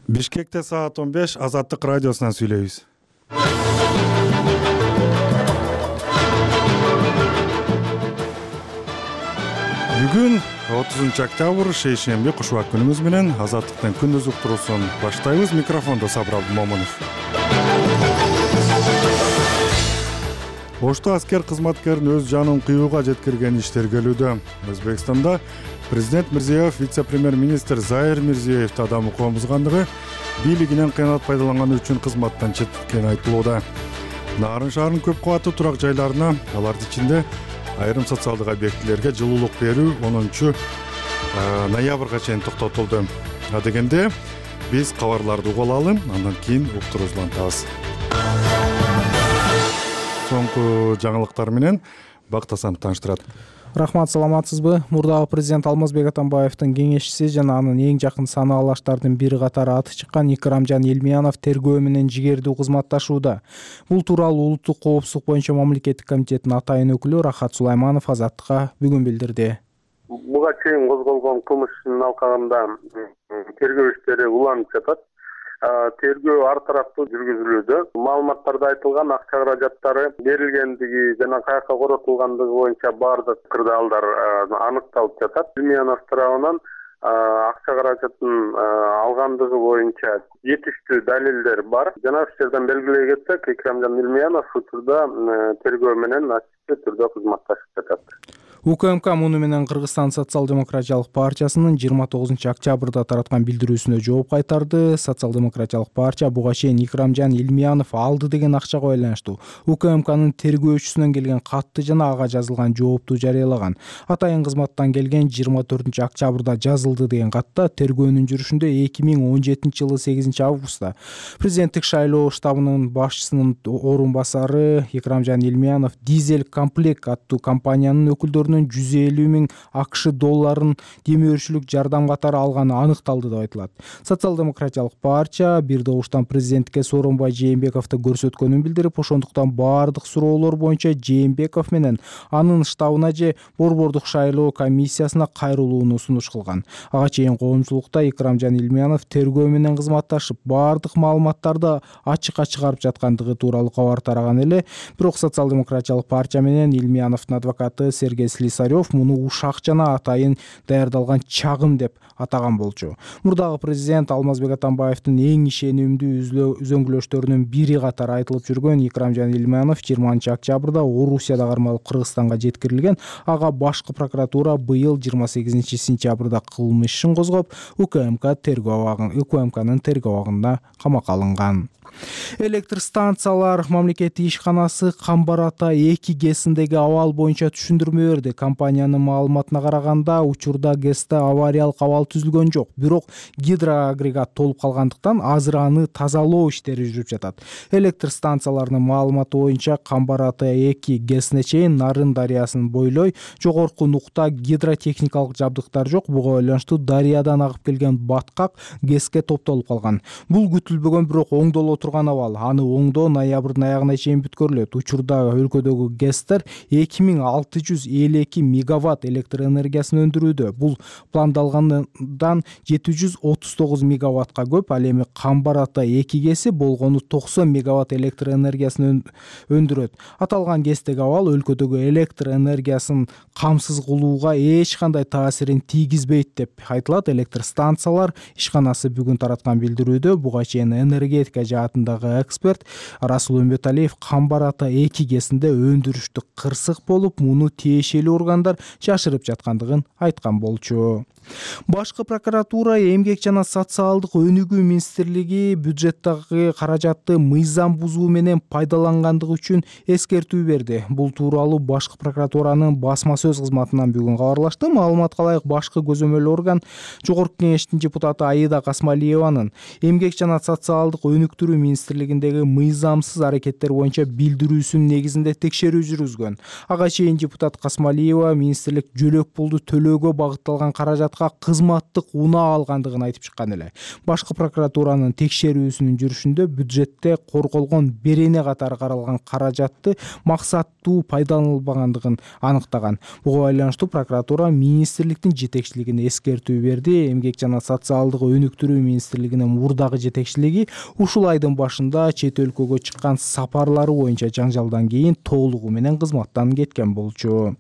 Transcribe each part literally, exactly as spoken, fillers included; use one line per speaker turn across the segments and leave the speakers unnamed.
Бишкекте саат он беш Азаттык радиосунан сүйлөйбүз. Бүгүн отузунчу октябрь шейшемби кушубак күнүбүз менен Азаттыктын күндүз уктуруусун баштайбыз. Микрофондо Сабыр Абдымомунов. Ошто аскер кызматкерин өз жанын кыюуга жеткирген иш тергелүүдө. Өзбекстанда президент Мирзиёев вице-премьер-министр Заир Мирзиёевди адам укугун бузгандыгы, бийлигинен кыянат пайдаланганы үчүн кызматтан четтеткени айтылууда. Нарын шаарынын көп кабаттуу турак жайларына, алардын ичинде айрым социалдык объектилерге жылуулук берүү онунчу ноябрга чейин токтотулду. А дегенде биз кабарларды угуп алалы, андан кийин уктуруубузду улантабыз. Соңку жаңылыктар менен Бактасан тааныштырат.
Рахмат, саламатсызбы? Мурдагы президент Алмазбек Атамбаевдин кеңешчиси жана анын эң жакын санаалаштардын бири катары аты чыккан Икрамжан Илмиянов тергөө менен жигердүү кызматташууда. Бул тууралуу улуттук коопсуздук боюнча мамлекеттик комитеттин атайын өкүлү Рахат Сулайманов Азаттыкка бүгүн билдирди.
Буга чейин козголгон кылмыш ишинин алкагында тергөө иштери уланып жатат. Тергөө ар тараптуу жүргүзүлүүдө. Маалыматтарда айтылган акча каражаттары берилгендиги жана каяка коротулгандыгы боюнча баардык кырдаалдар аныкталып жатат. Илмиянов тарабынан акча каражатын алгандыгы боюнча жетиштүү далилдер бар. Жана ушул жерден белгилей кетсек, Икрамжан Илмиянов учурда тергөө менен ачык түрдө кызматташып жатат.
УКМК муну менен Кыргызстан социал-демократиялык партиясынын жыйырма тогузунчу октябрда тараткан билдирүүсүнө жооп кайтарды. Социал-демократиялык партия буга чейин Икрамжан Илмиянов алды деген акчага байланыштуу УКМКнын тергөөчүсүнөн келген катты жана ага жазылган жоопту жарыялаган. Атайын кызматтан келген жыйырма төртүнчү октябрда жазылды деген катта тергөөнүн жүрүшүндө эки миң он жетинчи жылы сегизинчи августта президенттик шайлоо штабынын башчысынын орун басары Икрамжан Илмиянов Дизель комплект аттуу компаниянын өкүлдөрү жүз элүү миң АКШ долларын демөөрчүлүк жардам катары алганы аныкталды деп айтылат. Социал-демократиялык партия бир добуштан президентке Сооронбай Жээнбековду көрсөткөнүн билдирип, ошондуктан баардык суроолор боюнча Жээнбеков менен анын штабына же Борбордук шайлоо комиссиясына кайрылууну сунуш кылган. Ага чейин коомчулукта Икрамжан Илмиянов тергөө менен кызматташып, баардык маалыматтарды ачыкка чыгарып жаткандыгы тууралуу кабар тараган эле. Бирок социал-демократиялык партия менен Илмияновдун адвокаты Сергей Слесарев муну ушак жана атайын даярдалган чагым деп атаган болчу. Мурдагы президент Алмазбек Атамбаевдин эң ишенимдүү үзөңгүлөштөрүнүн бири катары айтылып жүргөн Икрамжан Илмиянов жыйырманчы октябрда Орусияда кармалып Кыргызстанга жеткирилген. Ага башкы прокуратура быйыл жыйырма сегизинчи сентябрда кылмыш ишин козгоп, УКМК тергөө абагын УКМКнын тергөө абагында камакка алынган. Электр станциялар мамлекеттик ишканасы Камбар Ата эки ГЭСиндеги абал боюнча түшүндүрмө берди. Компаниянын маалыматына караганда, учурда ГЭСте авариялык абал түзүлгөн жок, бирок гидроагрегат толуп калгандыктан азыр аны тазалоо иштери жүрүп жатат. Электр станцияларынын маалыматы боюнча Камбар Ата эки ГЭСине чейин Нарын дарыясын бойлой жогорку нукта гидротехникалык жабдыктар жок. Буга байланыштуу дарыядан агып келген баткак ГЭСке топтолуп калган. Бул күтүлбөгөн, бирок оңдоло турган абал. Аны оңдоо ноябрдын аягына чейин бүткөрүлөт. Учурда өлкөдөгү ГЭСтер эки миң алты жүз элүү эки мегаватт электр энергиясын өндүрүүдө. Бул пландалгандан жети жүз отуз тогуз мегаваттка көп. Ал эми Камбар Ата эки ГЭСи болгону токсон мегаватт электр энергиясын өндүрөт. Аталган ГЭСтеги абал өлкөдөгү электр энергиясын камсыз кылууга эч кандай таасирин тийгизбейт деп айтылат. Электр станциялар ишканасы бүгүн тараткан билдирүүдө буга чейин энергетика жаатындагы эксперт Расул Өмбөталиев Камбар Ата эки ГЭСинде өндүрүштү кырсык болуп, муну тиешелүү органдар жашырып жаткандыгын айткан болчу. Башкы прокуратура эмгек жана социалдык өнүгүү министрлиги бюджеттеги каражатты мыйзам бузуу менен пайдалангандыгы үчүн эскертүү берди. Бул тууралуу башкы прокуратуранын басма сөз кызматынан бүгүн кабарлашты. Маалыматка ылайык, башкы көзөмөл орган Жогорку кеңештин депутаты Аида Касмалиеванын эмгек жана социалдык өнүктүрүү министрлигиндеги мыйзамсыз аракеттер боюнча билдирүүсүнүн негизинде текшерүү жүргүзгөн. Ага чейин депутат Касмалиева министрлик жөлөк пулду төлөөгө багытталган каражат башка кызматтык унаа алгандыгын айтып чыккан эле. Башкы прокуратуранын текшерүүсүнүн жүрүшүндө бюджетте корголгон берене катары каралган каражатты максаттуу пайдаланылбагандыгын аныктаган. Буга байланыштуу прокуратура министрликтин жетекчилигине эскертүү берди. Эмгек жана социалдык өнүктүрүү министрлигинин мурдагы жетекчилиги ушул айдын башында чет өлкөгө чыккан сапарлары боюнча жаңжалдан кийин толугу менен кызматтан кеткен болчу.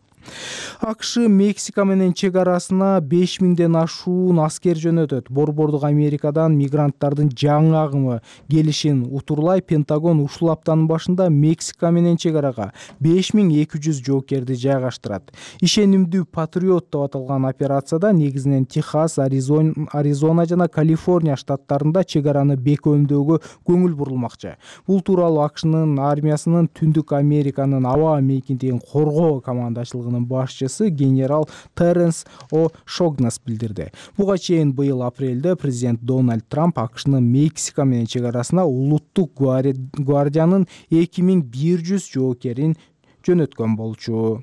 АКШ Мексика менен чек арасына беш миңден ашуун аскер жөнөтөт. Борбордук Америкадан мигранттардын жаңы агымы келишин утурлай Пентагон ушул аптанын башында Мексика менен чек арага беш миң эки жүз жоокерди жайгаштырат. Ишенимдүү патриот деп аталган операцияда негизинен Техас, Аризон, Аризона жана Калифорния штаттарында чек араны бекемдөөгө көңүл бурулмакчы. Бул тууралуу АКШнын армиясынын Түндүк Американын аба мейкиндигин коргоо командачылыгынын башчысы генерал Теренс О. Шогнас билдирди. Буга чейин быйыл апрелде президент Дональд Трамп АКШнын Мексика менен чек арасына улуттук гвардиянын эки миң бир жүз жоокерин жөнөткөн болчу.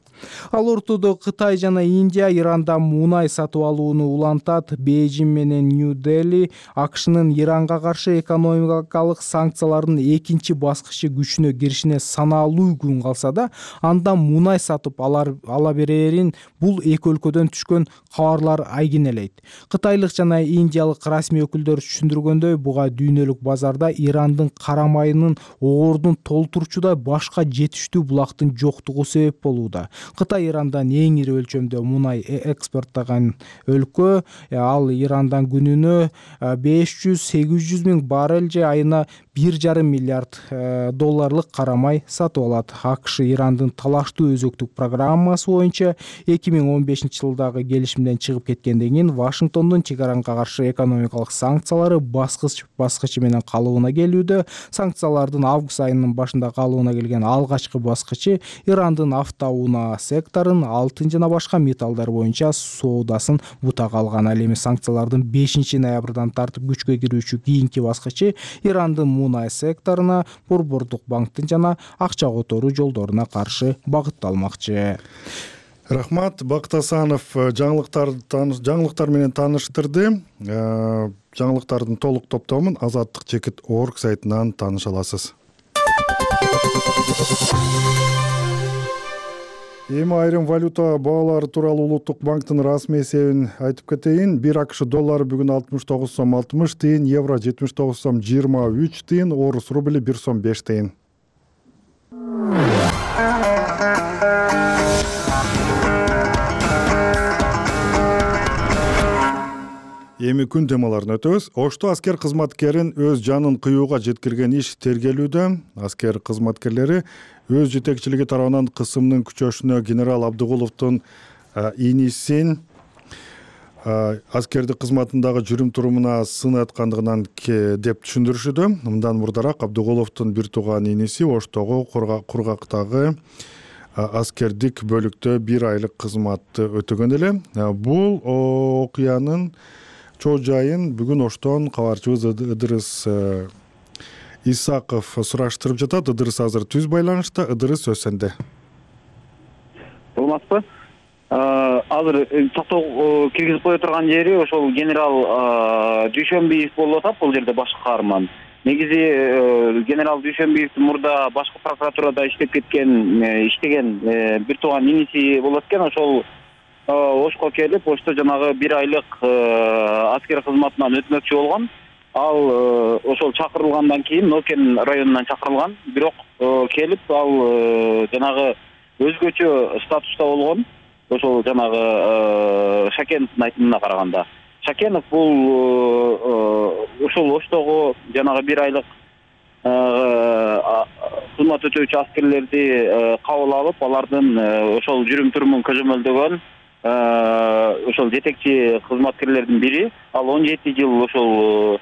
Ал ортодо Кытай жана Индия Ирандан мунай сатып алууну улантат. Бейжиң менен Нью-Дели АКШнын Иранга каршы экономикалык санкциялардын экинчи баскычы күчүнө киришине саналуу күн калса да, андан мунай сатып алар ала берерин бул эки өлкөдөн түшкөн кабарлар айгинелейт. Кытайлык жана индиялык расмий өкүлдөр түшүндүргөндөй, буга дүйнөлүк базарда Ирандын кара майынын оордун толтурчудай башка жетиштүү булактын жоктугу себеп болууда. Кытай Ирандан эң ири өлчөмдө мунай экспорттогон өлкө. Ал Ирандан күнүнө беш жүз сегиз жүз миң баррель же айына бир жарым миллиард долларлык кара май сатып алат. АКШ Ирандын талаштуу өзөктүк программасы боюнча эки миң он бешинчи жылдагы келишимден чыгып кеткенден кийин Вашингтондун чек арага каршы экономикалык санкциялары баскыч баскычы менен калыбына келүүдө. Санкциялардын август айынын башында калыбына келген алгачкы баскычы Ирандын автоунаа секторун, алтын жана башка металлдар боюнча соодасын бутага алган. Ал эми санкциялардын бешинчи ноябрдан тартып күчкө кирүүчү кийинки баскычы Ирандын мунай секторуна, Борбордук банктын жана акча которуу жолдоруна каршы багытталмакчы.
Рахмат. Бакыт Асанов жаңылыктар жаңылыктар менен тааныштырды. Жаңылыктардын толук топтомун азаттык чекит точка орг сайтынан тааныша аласыз. Эми айрым валюта баалары тууралуу Улуттук банктын расмий эсебин айтып кетейин. бир АКШ доллары бүгүн алтымыш тогуз сом алтымыш тыйын, евро жетимиш тогуз сом жыйырма үч тыйын, орус рубли бир сом беш тыйын. Эми күн темаларын өтөбүз. Ошто аскер кызматкерин өз жанын кыюуга жеткирген иш тергелүүдө. Аскер кызматкерлери өз жетекчилиги тарабынан кысымдын күчөшүнө генерал Абдыгуловдун инисин аскердик кызматындагы жүрүм турумуна сын айткандыгынан деп түшүндүрүшүүдө. Мындан мурдараак Абдыгуловдун бир тууган иниси Оштогу кургактагы аскердик бөлүктө бир айлык кызматты өтөгөн эле. Бул окуянын чоо жайын бүгүн Оштон кабарчыбыз Ыдырыс Исаков сураштырып жатат. Ыдырыс азыр түз байланышта. Ыдырыс, сөз сенде.
Болмаспы? Азыр токтоо киргизип кое турган жери ошол генерал Дүйшөнбиев болуп атат. Бул жерде башкы каарман. Негизи генерал Дүйшөнбиевдин мурда башкы прокуратурада иштеп кеткен, иштеген бир тууган иниси болот экен. Ошол Ошко келип, Ошто жанагы бир айлык аскер кызматынан өтмөкчү болгон. Ал ошол чакырылгандан кийин Нокен районунан чакырылган. Бирок келип, ал жанагы өзгөчө статуста болгон. Ошол жанагы Шакеновдун айтымына караганда. Шакенов бул ошол Оштогу жанагы бир айлык кызмат өтөөчү аскерлерди кабыл алып, алардын ошол жүрүм турумун көзөмөлдөгөн ошол жетекчи кызматкерлердин бири. Ал он жети жыл ошол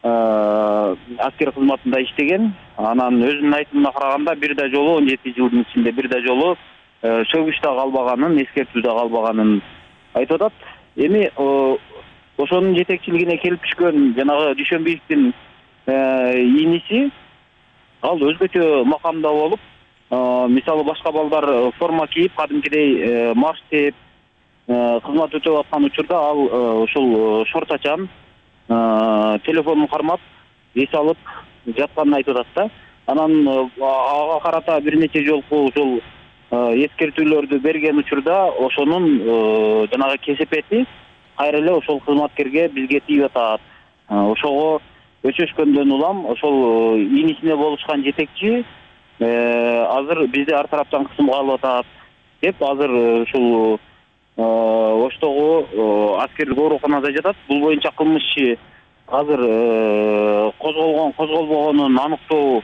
аскер кызматында иштеген. Анан өзүнүн айтымына караганда бир да жолу он жети жылдын ичинде бир да жолу сөгүштө калбаганын, эскертүүдө калбаганын айтып атат. Эми ошонун жетекчилигине келип түшкөн жанагы Дүйшөнбиевдин иниси ал өзгөчө макамда болуп, мисалы башка балдар форма кийип, кадимкидей марш тээп, кызмат өтөп аткан учурда ал ушул шортачан телефонун кармап эс алып жатканын айтып атат да. Анан ага карата бир нече жолку ушул эскертүүлөрдү берген учурда ошонун жанагы кесепети кайра эле ошол кызматкерге бизге тийип атат. Ошого өчөшкөндөн улам ошол инисине болушкан жетекчи азыр бизди ар тараптан кысымга алып атат деп азыр ушул Оштогу аскердик ооруканада жатат. Бул боюнча кылмыш иши азыр козголгон козголбогонун аныктоо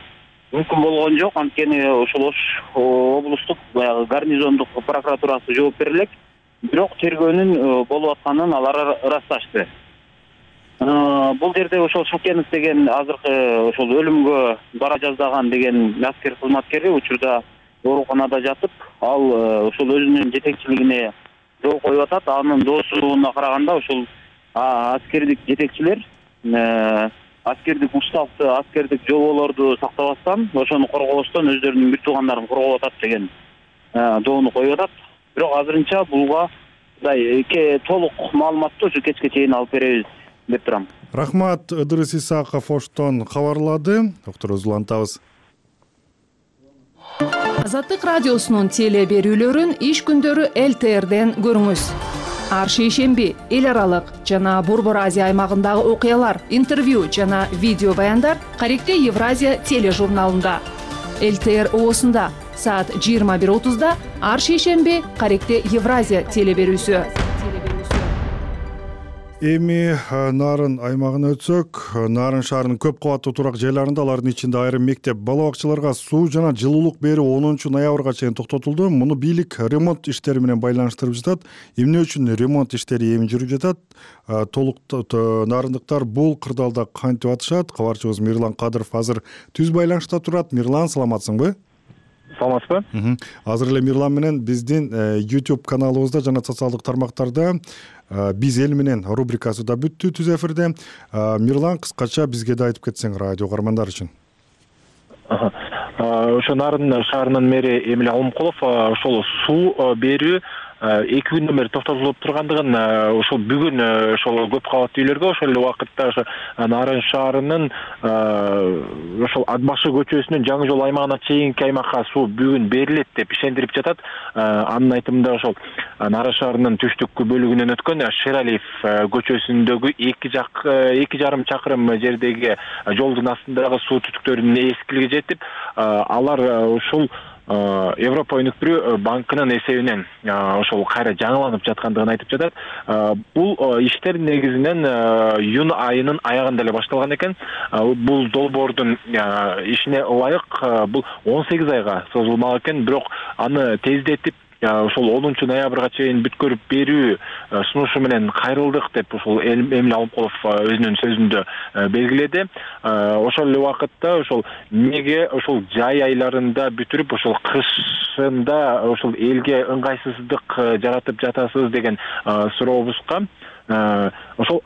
мүмкүн болгон жок. Анткени ошол Ош облустук баягы гарнизондук прокуратурасы жооп бере элек. Бирок тергөөнүн болуп атканын алар ырасташты. Бул жерде ошол Шукенов деген азыркы ошол өлүмгө бара жаздаган деген аскер кызматкери учурда ооруканада жатып, ал ошол өзүнүн жетекчилигине жол коюп атат. Анын доосуна караганда ошол аскердик жетекчилер аскердик уставды, аскердик жоболорду сактабастан, ошону коргобостон өздөрүнүн бир туугандарын коргоп атат деген доону коюп атат. Бирок азырынча буга мындай толук маалыматты ушу кечке чейин алып беребиз деп турам.
Рахмат, Ыдырыс Исаков Оштон кабарлады. Докторубузду улантабыз.
Азаттык радиосунун теле берүүлөрүн иш күндөрү эл тэ эрден көрүңүз. Ар шейшемби эл аралык жана Борбор Азия аймагындагы окуялар, интервью жана видео баяндар Каректе Евразия тележурналында. эл тэ эр оосунда саат жыйырма бир отузда ар шейшемби Каректе Евразия теле берүүсү.
Эми Нарын аймагына өтсөк, Нарын шаарынын көп кабаттуу турак жайларында, алардын ичинде айрым мектеп, бала бакчаларга суу жана жылуулук берүү онунчу ноябрга чейин токтотулду. Муну бийлик ремонт иштери менен байланыштырып жатат. Эмне үчүн ремонт иштери эми жүрүп жатат? Толук нарындыктар бул кырдаалда кантип атышат? Кабарчыбыз Мирлан Кадыров азыр түз байланышта турат. Мирлан, саламатсыңбы?
Саламатсызбы?
Азыр эле Мирлан менен биздин YouTube каналыбызда жана социалдык тармактарда биз эл менен рубрикасы да бүттү түз эфирде. Мирлан, кыскача бизге да айтып кетсең радио каармандар үчүн.
Ошо Нарын шаарынын мэри Эмиль Алмкулов ошол суу берүү эки күндөн бери токтотулуп тургандыгын, ошол бүгүн ошол көп кабаттуу үйлөргө, ошол эле убакытта ошо Нарын шаарынын ошол Ат башы көчөсүнүн жаңы жол аймагына чейинки аймакка суу бүгүн берилет деп ишендирип жатат. Анын айтымында ошол Нарын шаарынын түштүк бөлүгүнөн өткөн Шералиев көчөсүндөгү эки жак эки жарым чакырым жердеги жолдун астындагы суу түтүктөрүнүн эскилиги жетип, алар ушул Европа өнүктүрүү банкынын эсебинен ошол кайра жаңыланып жаткандыгын айтып жатат. Бул иштер негизинен июнь айынын аягында эле башталган экен. Бул долбоордун ишине ылайык бул он сегиз айга созулмак экен, бирок аны тездетип ошол онунчу ноябрга чейин бүткөрүп берүү сунушу менен кайрылдык деп ошол Эмиль Алмкулов өзүнүн сөзүндө белгиледи. Ошол эле убакытта ошол меге ошол жай айларында бүтүрүп, ошол кышында ошол элге ыңгайсыздык жаратып жатасыз деген сурообузга ошол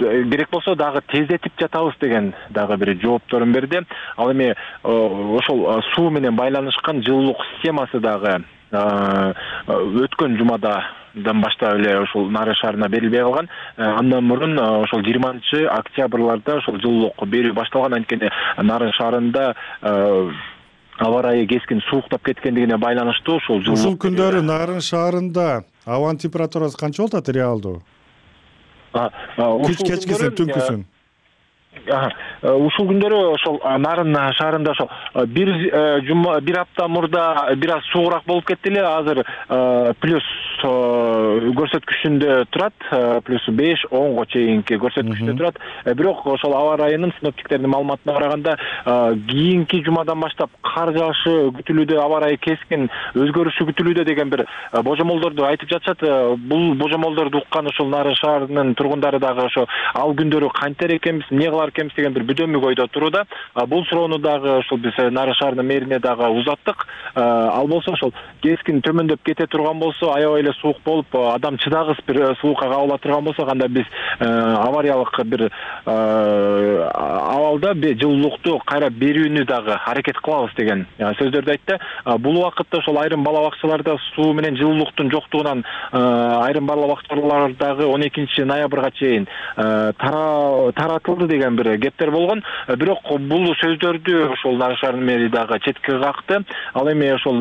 керек болсо дагы тездетип жатабыз деген дагы бир жоопторун берди. Ал эми ошол суу менен байланышкан жылуулук системасы дагы өткөн жумадан баштап эле ошол Нарын шаарына берилбей калган. Андан мурун ошол жыйырманчы октябрларда ошол жылуулук берүү башталган. Анткени Нарын шаарында аба ырайы кескин сууктап кеткендигине байланыштуу ошол жылуулук.
Ушул күндөрү Нарын шаарында абанын температурасы канча болот реалдуу? Кеч кечкисин, түнкүсүн?
Ушул күндөрү ошол Нарын шаарында ошол бир жума бир апта мурда бир аз суугураак болуп кетти эле. Азыр плюс көрсөткүчүндө турат, плюс беш онго чейинки көрсөткүчтө турат. Бирок ошол аба ырайынын синоптиктердин маалыматына караганда кийинки жумадан баштап кар жаашы күтүлүүдө, аба ырайы кескин өзгөрүшү күтүлүүдө деген бир божомолдорду айтып жатышат. Бул божомолдорду уккан ошол Нарын шаарынын тургундары дагы ошо ал күндөрү кантер экенбиз, эмне балалар кемсиз деген бир бүдөмүк ойдо турууда. Бул суроону дагы ушул биз Нарын шаарынын мэрине дагы узаттык. Ал болсо ошол кескин төмөндөп кете турган болсо, аябай эле суук болуп, адам чыдагыс бир суукка кабыла турган болсо, анда биз авариялык бир абалда жылуулукту кайра берүүнү дагы аракет кылабыз деген сөздөрдү айтты. Бул убакытта ошол айрым бала бакчаларда суу менен жылуулуктун жоктугунан айрым бала бакчалардагы он экинчи ноябрга чейин таратылды деген бир кептер болгон. Бирок бул сөздөрдү ошол Нарын шаарынын мэри дагы четке какты. Ал эми ошол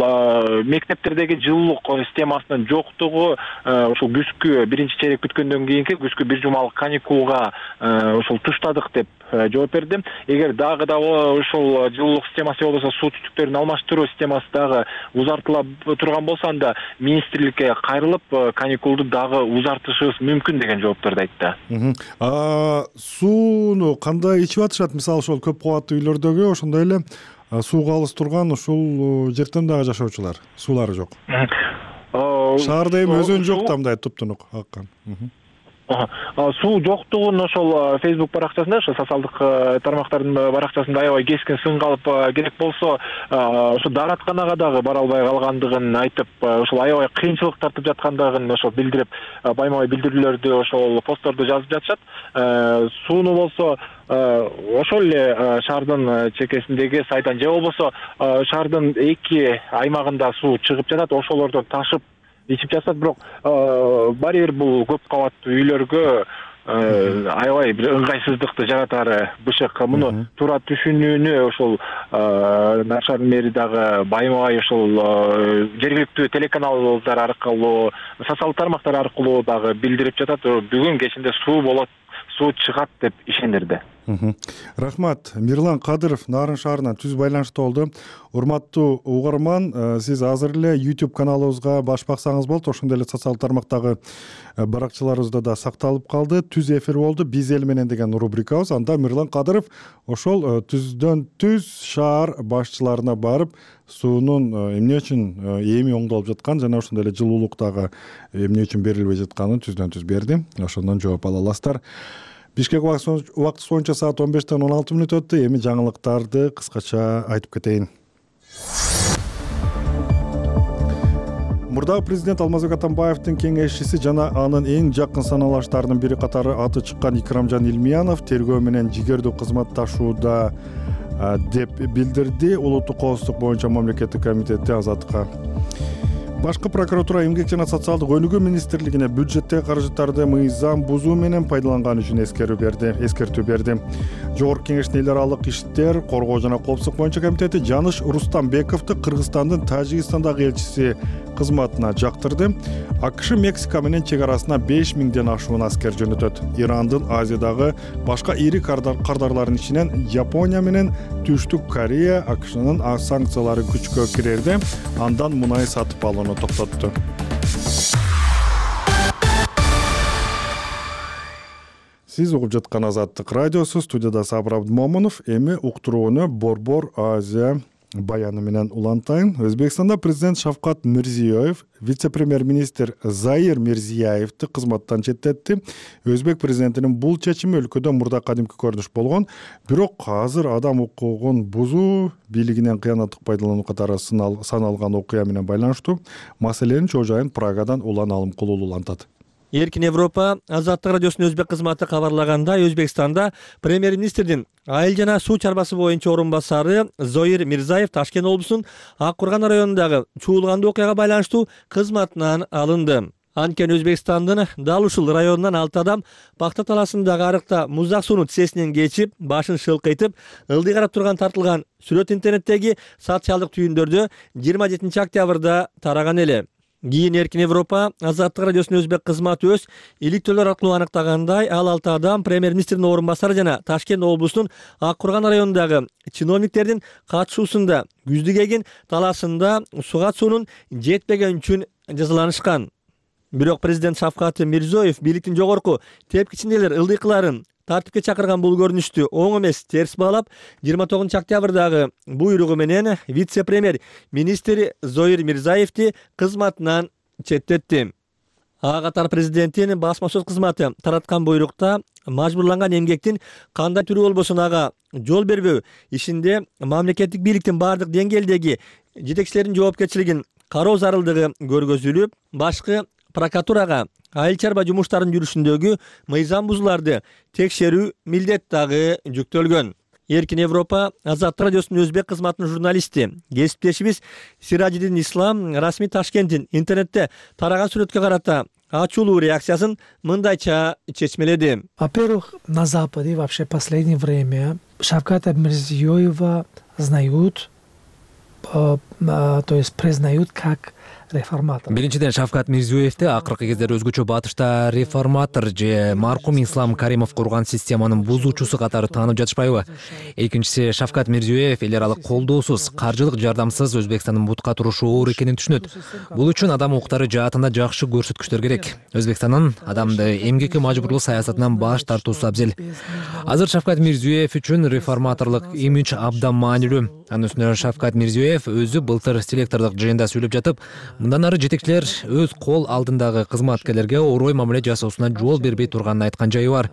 мектептердеги жылуулук системасынын жоктугу ошол күзгү биринчи чейрек бүткөндөн кийинки күзгү бир жумалык каникулга ошол туштадык деп жооп берди. Эгер дагы да ошол жылуулук системасы болбосо суу түтүктөрүн алмаштыруу системасы дагы узартыла турган болсо, анда министрликке кайрылып каникулду дагы узартышыбыз мүмкүн деген жоопторду айтты.
Сууну кандай ичип атышат? Мисалы ошол көп кабаттуу үйлөрдөгү ошондой эле сууга алыс турган ушул жерден дагы жашоочулар суулары жок. Шаарда эми өзүн жок да мындай туптунук аккан.
Суу жоктугун ошол Facebook баракчасында, ошол социалдык тармактардын баракчасында аябай кескин сын калып, керек болсо ошо дааратканага дагы бара албай калгандыгын айтып, ошол аябай кыйынчылык тартып жаткандыгын ошол билдирип, байма-бай билдирүүлөрдү, ошол постторду жазып жатышат. Сууну болсо ошол эле шаардын чекесиндеги сайдан же болбосо шаардын эки аймагында суу чыгып жатат, ошолордон ташып ичип жатат. Бирок баары бир бул көп кабаттуу үйлөргө аябай бир ыңгайсыздыкты жаратары бышык. Муну туура түшүнүүнү ошол Нарын шаарынын мэри дагы байма-бай ошол жергиликтүү телеканалдар аркылуу, социалдык тармактар аркылуу дагы билдирип жатат. Бүгүн кечинде суу болот, суу чыгат деп ишендирди.
Рахмат. Мирлан Кадыров Нарын шаарынан түз байланышта болду. Урматтуу угарман, сиз азыр эле YouTube каналыбызга баш баксаңыз болот. Ошондой эле социалдык тармактагы баракчаларыбызда да сакталып калды. Түз эфир болду. Биз эл менен деген рубрикабыз. Анда Мирлан Кадыров ошол түздөн түз шаар башчыларына барып, суунун эмне үчүн эми оңдолуп жаткан жана ошондой эле жылуулук дагы эмне үчүн берилбей жатканын түздөн түз берди. Ошондон жооп ала аласыздар. Бишкек убактысы боюнча саат он бештен он алты мүнөт өттү. Эми жаңылыктарды кыскача айтып кетейин. Мурдагы президент Алмазбек Атамбаевдин кеңешчиси жана анын эң жакын саналаштарынын бири катары аты чыккан Икрамжан Илмиянов тергөө менен жигердүү кызматташууда деп билдирди Улуттук коопсуздук боюнча мамлекеттик комитети Азаттыкка. Башкы прокуратура эмгек жана социалдык өнүгүү министрлигине бюджеттеги каражаттарды мыйзам бузуу менен пайдаланганы үчүн эскертүү берди. Эскертүү берди. Жогорку кеңештин эл аралык иштер, коргоо жана коопсуздук боюнча комитети Жаныш Рустамбековду Кыргызстандын Тажикстандагы элчиси кызматына жактырды. АКШ Мексика менен чек арасына беш миңден ашуун аскер жөнөтөт. Ирандын Азиядагы башка ири кардарларынын ичинен Япония менен Түштүк Корея АКШнын санкциялары күчкө кирерде андан мунай сатып алууну токтотту. Сиз угуп жаткан Азаттык радиосу, студияда Сабыр Абдмомунов. Эми уктурууну Борбор Азия баяны менен улантайын. Өзбекстанда президент Шавкат Мирзиёев вице-премьер-министр Заир Мирзиёевди кызматтан четтетти. Өзбек президентинин бул чечими өлкөдө мурда кадимки көрүнүш болгон, бирок азыр адам укугун бузуу, бийлигинен кыянаттык пайдалануу катары саналган окуя менен байланыштуу. Маселенин чоо жайын Прагадан Улан Алымкулуу улантат.
Эркин Европа Азаттык радиосунун өзбек кызматы кабарлагандай, Өзбекстанда премьер-министрдин айыл жана суу чарбасы боюнча орун басары Зоир Мирзаев Ташкент облусунун Ак Курган районундагы чуулгандуу окуяга байланыштуу кызматынан алынды. Анткени Өзбекстандын дал ушул районунан алты адам Бактар таласындагы арыкта муздак суунун тизесинен кечип, башын шылкыйтып, ылдый карап турган тартылган сүрөт интернеттеги социалдык түйүндөрдө жыйырма жетинчи октябрда тараган эле. Кийин Эркин Европа Азаттык радиосунун өзбек кызматы өз иликтөөлөр аркылуу аныктагандай, ал алты адам премьер-министрдин орун басары жана Ташкент облусунун Ак Курган районундагы чиновниктердин катышуусунда күздүк эгин таласында суга суунун жетпеген үчүн жазаланышкан. Бирок президент Шавкат Мирзиёев бийликтин жогорку тепкичинделер ылдыйкыларын тартипке чакырган бул көрүнүштү оң эмес терс баалап, жыйырма тогузунчу октябрдагы буйругу менен вице-премьер министр Зоир Мирзаевди кызматынан четтетти. ага катар президенттин басма сөз кызматы тараткан буйрукта мажбурланган эмгектин кандай түрү болбосун ага жол бербөө ишинде мамлекеттик бийликтин баардык деңгээлдеги жетекчилердин жоопкерчилигин кароо зарылдыгы көргөзүлүп, башкы прокуратурага айыл чарба жумуштарынын жүрүшүндөгү мыйзам бузууларды текшерүү милдет дагы жүктөлгөн. Эркин Европа Азаттык радиосунун өзбек кызматынын журналисти, кесиптешибиз Сиражидин Ислам расмий Ташкенттин интернетте тараган сүрөткө карата ачуулуу реакциясын мындайча чечмеледи.
Во-первых, на Западе вообще в последнее время Шавката Мирзиёева знают, то есть признают как реформатор.
Биринчиден, Шавкат Мирзиёевди акыркы кездери өзгөчө батышта реформатор же маркум Ислам Каримов курган системанын бузуучусу катары таанып жатышпайбы? Экинчиси, Шавкат Мирзиёев эл аралык колдоосуз, каржылык жардамсыз Өзбекстандын бутка турушу оор экенин түшүнөт. Бул үчүн адам укуктары жаатында жакшы көрсөткүчтөр керек. Өзбекстандын адамды эмгекке мажбурлуу саясатынан баш тартуусу абзел. Азыр Шавкат Мирзиёев үчүн реформаторлук имидж абдан маанилүү. Анын үстүнө Шавкат Мирзиёев өзү былтыр селектордук жыйында сүйлөп жатып, мындан ары жетекчилер өз кол алдындагы кызматкерлерге орой мамиле жасоосуна жол бербей турганын айткан жайы бар.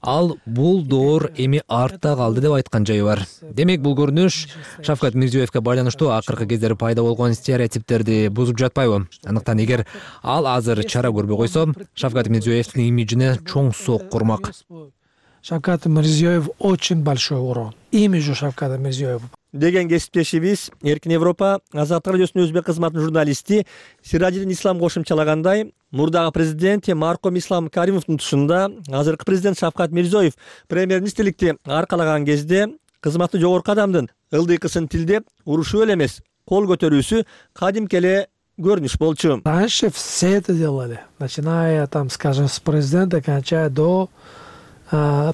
Ал бул доор эми артта калды деп айткан жайы бар. Демек, бул көрүнүш Шавкат Мирзиёевге байланыштуу акыркы кездери пайда болгон стереотиптерди бузуп жатпайбы? Андыктан эгер ал азыр чара көрбөй койсо, Шавкат Мирзиёевдин имиджине чоң соок курмак.
Шавкат Мирзиёев очень большой урон. Имиджу Шавката Мирзиёева.
Деген кесиптешибиз Эркин Европа Азаттык радиосунун өзбек кызматынын журналисти Сиражидин Ислам кошумчалагандай, мурдагы президент маркум Ислам Каримовдун тушунда азыркы президент Шавкат Мирзиёев премьер-министрликти аркалаган кезде кызматы жогорку адамдын ылдыйкысын тилдеп урушуу эле эмес, кол көтөрүүсү кадимки эле көрүнүш болчу.
Раньше все это делали, начиная там, скажем, с президента, кончая до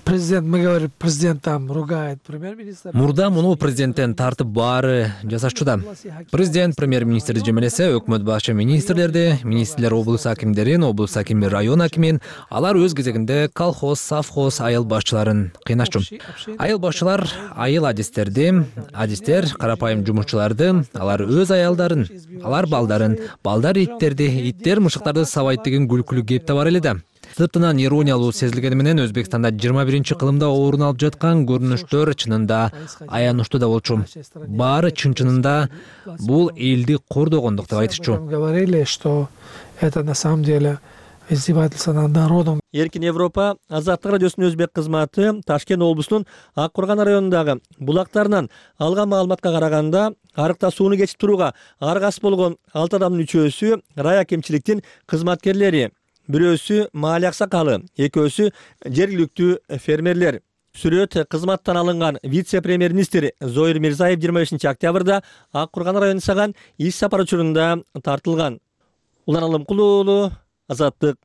президент, мы говорим, президент там ругает премьер-министр.
Мурда муну президенттен тартып баары жасашчуда. Президент премьер-министрди жемелесе, өкмөт башчы министрлерди, министрлер облус акимдерин, облус акими район акимин, алар өз кезегинде колхоз, совхоз айыл башчыларын кыйнашчу. Айыл башчылар айыл адистерди, адистер карапайым жумушчуларды, алар өз аялдарын, алар балдарын, балдар иттерди, иттер мышыктарды сабайт деген күлкүлүү кеп да бар эле да. Сыртынан ирониялуу сезилгени менен Өзбекстанда жыйырма биринчи кылымда орун алып жаткан көрүнүштөр чынында аянычтуу да болчу. Баары чын-чынында бул элди кордогондук деп айтышчу.
Говорили, что это на самом деле издевательство над народом.
Эркин Европа Азаттык радиосунун өзбек кызматы Ташкент облусунун Ак Курган районундагы булактарынан алган маалыматка караганда, арыкта сууну кечип турууга аргасыз болгон алты адамдын үчөөсү район акимчиликтин кызматкерлери. Бирөөсү маали аксакалы, экөөсү жергиликтүү фермерлер. Сүрөт кызматтан алынган вице-премьер-министр Зоир Мирзаев жыйырма бешинчи октябрда Ак Курган районуна саган иш сапар учурунда тартылган. Улан Алымкулуу уулу, Азаттык.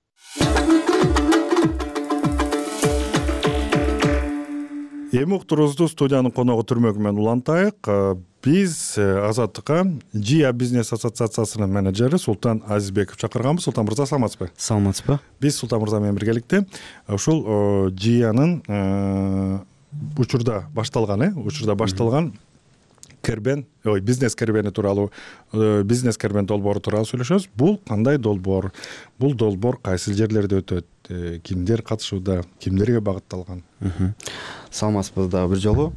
Эми уктуруубузду студиянын коногу түрмөгү менен улантайык. Биз Азаттыкка Джия бизнес ассоциациясынын менеджери Султан Азизбеков чакырганбыз. Султан мырза, саламатсызбы?
Саламатсызбы.
Биз Султан мырза менен биргеликте ушул Джиянын учурда башталган, э, учурда башталган кербен, ой, бизнес кербени тууралуу, бизнес кербен долбоору тууралуу сүйлөшөбүз. Бул кандай долбоор? Бул долбоор кайсы жерлерде өтөт? Кимдер катышууда? Кимдерге багытталган?
Саламатсызбы да бир жолу.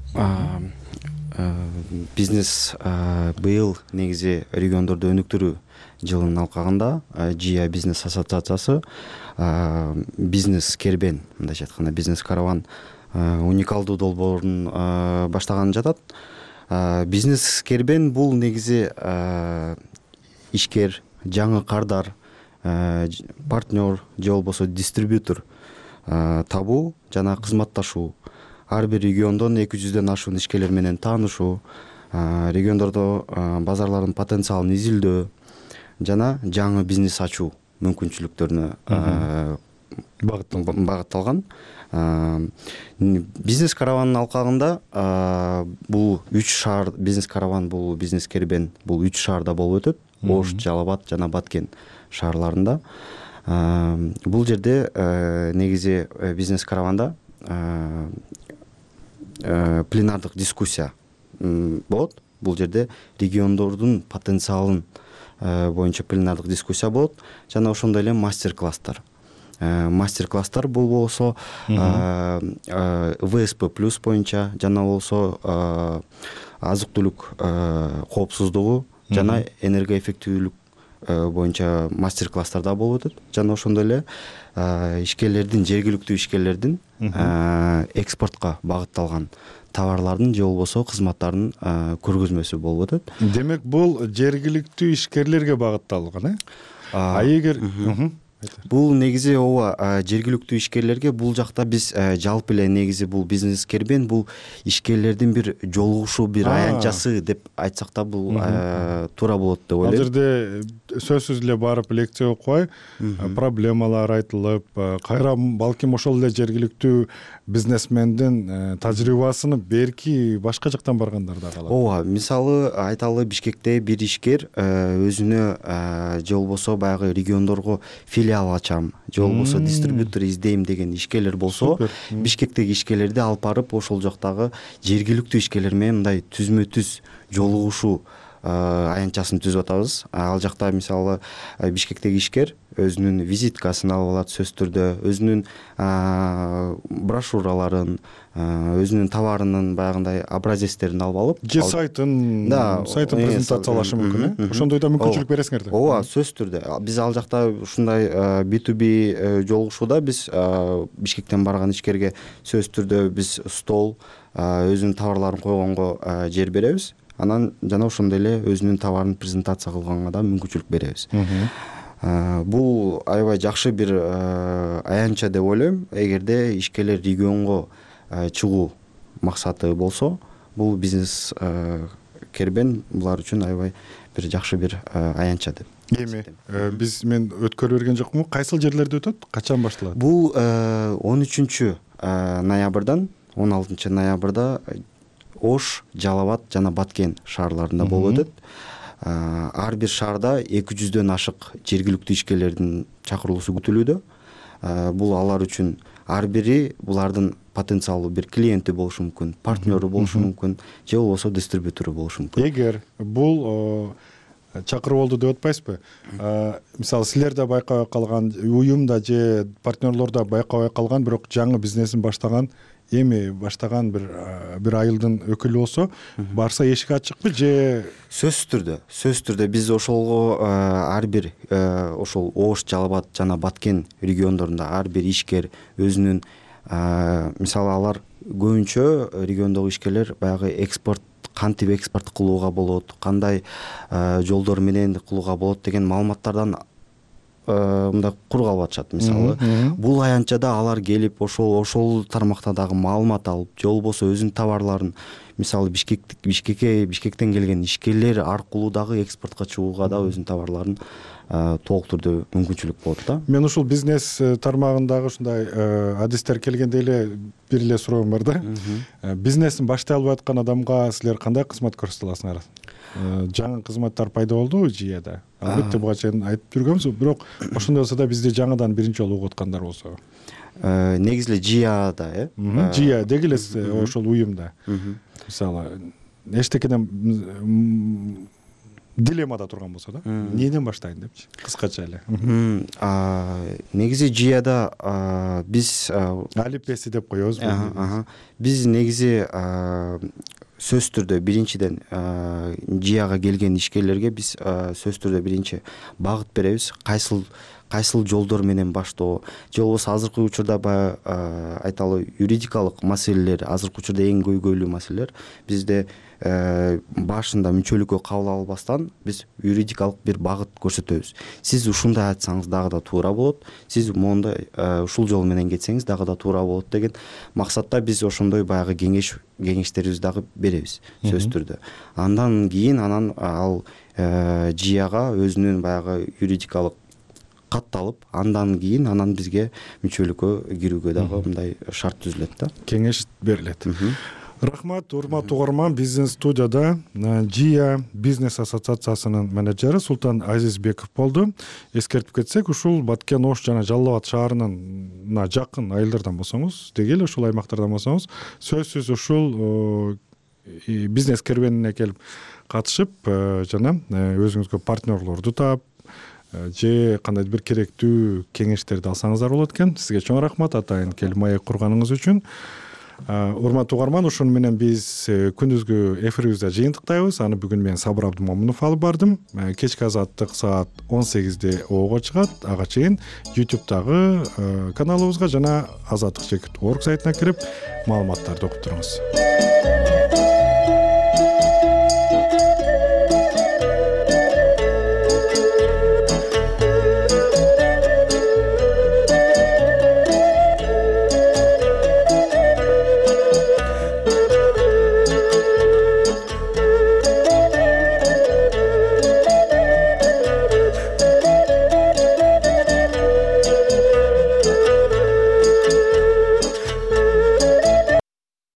Бизнес быйыл негизи региондорду өнүктүрүү жылынын алкагында Джия бизнес ассоциациясы бизнес кербен, мындайча айтканда бизнес караван уникалдуу долбоорун баштаганын жатат. Бизнес кербен бул негизи ишкер, жаңы кардар, партнер же болбосо дистрибьютор табуу жана кызматташуу, ар бир региондон эки жүздөн ашуун ишкерлер менен таанышуу, региондордо базарлардын потенциалын изилдөө жана жаңы бизнес ачуу мүмкүнчүлүктөрүнө багытталган. Бизнес каравандын алкагында бул үч шаар, бизнес караван бул бизнес кербен бул үч шаарда болуп өтөт. Ош, Жалал-Абад жана Баткен шаарларында. Бул жерде негизи бизнес караванда пленардык дискуссия болот. Бул жерде региондордун потенциалын боюнча пленардык дискуссия болот жана ошондой эле мастер класстар мастер класстар бул болсо ВСП плюс боюнча жана болсо азык түлүк коопсуздугу жана энергоэффективдүүлүк боюнча мастер класстар да болуп өтөт жана ошондой эле ишкерлердин жергиликтүү ишкерлердин экспортко багытталган товарлардын же болбосо кызматтардын көргөзмөсү болуп өтөт.
Демек бул жергиликтүү ишкерлерге багытталган э а эгер
бул негизи ооба жергиликтүү ишкерлерге бул жакта биз жалпы эле негизи бул бизнескербен бул ишкерлердин бир жолугушуу бир аянтчасы деп айтсак да бул туура болот деп ойлойм.
Ал жерде сөзсүз эле барып лекция окубай проблемалар айтылып кайра балким ошол эле жергиликтүү бизнесмендин тажрыйбасын берки башка жактан баргандар да калат.
Ооба, мисалы айталы Бишкекте бир ишкер өзүнө же болбосо баягы региондорго филиал ачам же болбосо дистрибьютор издейм деген ишкерлер болсо Бишкектеги ишкерлерди алып барып ошол жактагы жергиликтүү ишкерлер менен мындай түзмө түз жолугушуу аянтчасын түзүп атабыз. Ал жакта мисалы Бишкектеги ишкер өзүнүн визиткасын алып алат, сөзсүз түрдө өзүнүн брошюраларын, өзүнүн товарынын баягындай образецтерин алып алып,
же сайтын сайтын презентациялашы мүмкүн э ошондой да мүмкүнчүлүк бересиңер да.
Ооба, сөзсүз түрдө биз ал жакта ушундай би ту би жолугушууда биз Бишкектен барган ишкерге сөзсүз түрдө биз стол, өзүнүн товарларын койгонго жер беребиз. Анан жана ошондой эле өзүнүн товарын презентация кылганга да мүмкүнчүлүк беребиз. Бул аябай жакшы бир аянтча деп ойлойм. Эгерде ишкерлер регионго чыгуу максаты болсо, бул бизнес кербен булар үчүн аябай бир жакшы бир аянтча деп.
Эми биз мен өткөрүп берген жокмун. Кайсыл жерлерде өтөт? Качан башталат?
Бул он үчүнчү ноябрдан он алтынчы ноябрда Ош, Жалал Абад жана Баткен шаарларында болуп өтөт. Ар бир шаарда эки жүздөн ашык жергиликтүү ишкерлердин чакырылуусу күтүлүүдө. Бул алар үчүн ар бири булардын потенциалдуу бир клиенти болушу мүмкүн, партнеру болушу мүмкүн, же болбосо дистрибьютору болушу мүмкүн.
Эгер бул чакырып болду деп атпайсызбы? Мисалы силер да байкабай калган, уюм да же партнерлор да байкабай калган, бирок жаңы бизнесин баштаган эми баштаган бир бир айылдын өкүлү болсо, барса эшик ачыкпы же?
Сөзсүз түрдө, сөзсүз түрдө биз ошолго ар бир ошол Ош, Жалал Абад жана Баткен региондорунда ар бир ишкер өзүнүн мисалы алар көбүнчө региондогу ишкерлер баягы экспорт кантип экспорт кылууга болот, кандай жолдор менен кылууга болот деген маалыматтардан мындай кур калып атышат. Мисалы бул аянтчада алар келип ошол ошол тармакта дагы маалымат алып, же болбосо өзүнүн товарларын мисалы Бишкек Бишкекке Бишкектен келген ишкерлер аркылуу дагы экспортко чыгууга да өзүнүн товарларын толук түрдө мүмкүнчүлүк болот да.
Мен ушул бизнес тармагындагы ушундай адистер келгенде эле бир эле суроом бар да. Бизнесин баштай албай аткан адамга силер кандай кызмат көрсөтө аласыңар? Жаңы кызматтар пайда болду жүйөдө. Албетте буга чейин айтып жүргөнбүз, бирок ошондой болсо да бизди жаңыдан биринчи жолу угуп аткандар болсо.
Негизи эле жүйөдө, э?
Жүйө деги эле ошол уюмда. Мисалы эчтекеден дилеммада турган болсо да, эмнеден баштайын депчи, кыскача эле.
Негизи жүйөдө биз
алипеси деп коебуз.
Биз негизи сөзсүз түрдө биринчиден жүйөгө келген ишкерлерге биз сөзсүз түрдө биринчи багыт беребиз. Кайсыл кайсыл жолдор менен баштоо, же болбосо азыркы учурда баягы айталы юридикалык маселелер, азыркы учурда эң көйгөйлүү маселелер бизде башында мүчөлүккө кабыл албастан биз юридикалык бир багыт көрсөтөбүз. Сиз ушундай айтсаңыз дагы да туура болот, сиз мондай ушул жол менен кетсеңиз дагы да туура болот деген максатта биз ошондой баягы кеңеш кеңештерибизди дагы беребиз сөзсүз түрдө. Андан кийин анан ал жүйөгө өзүнүн баягы юридикалык катталып, андан кийин анан бизге мүчөлүккө кирүүгө дагы мындай шарт түзүлөт да.
Кеңеш берилет. Рахмат, урматтуу угарман. Биздин студияда Жия бизнес ассоциациясынын менеджери Султан Азизбеков болду. Эскертип кетсек, ушул Баткен, Ош жана Жалал Абад шаарынын жакын айылдардан болсоңуз, деги эле ушул аймактардан болсоңуз, сөзсүз ушул бизнес керуенине келип катышып жана өзүңүзгө партнерлорду таап же кандайдыр бир керектүү кеңештерди алсаңыздар болот экен. Сизге чоң рахмат атайын келип маек курганыңыз үчүн. Урматтуу угарман, ошону менен биз күндүзгү эфирибизде жыйынтыктайбыз. Аны бүгүн мен Сабыр Абдымомунов алып бардым. Кечки азаттык саат он сегизде ого чыгат. Ага чейин YouTube'дагы каналыбызга жана азаттык чекит точка орг сайтына кирип маалыматтарды окуп туруңуз.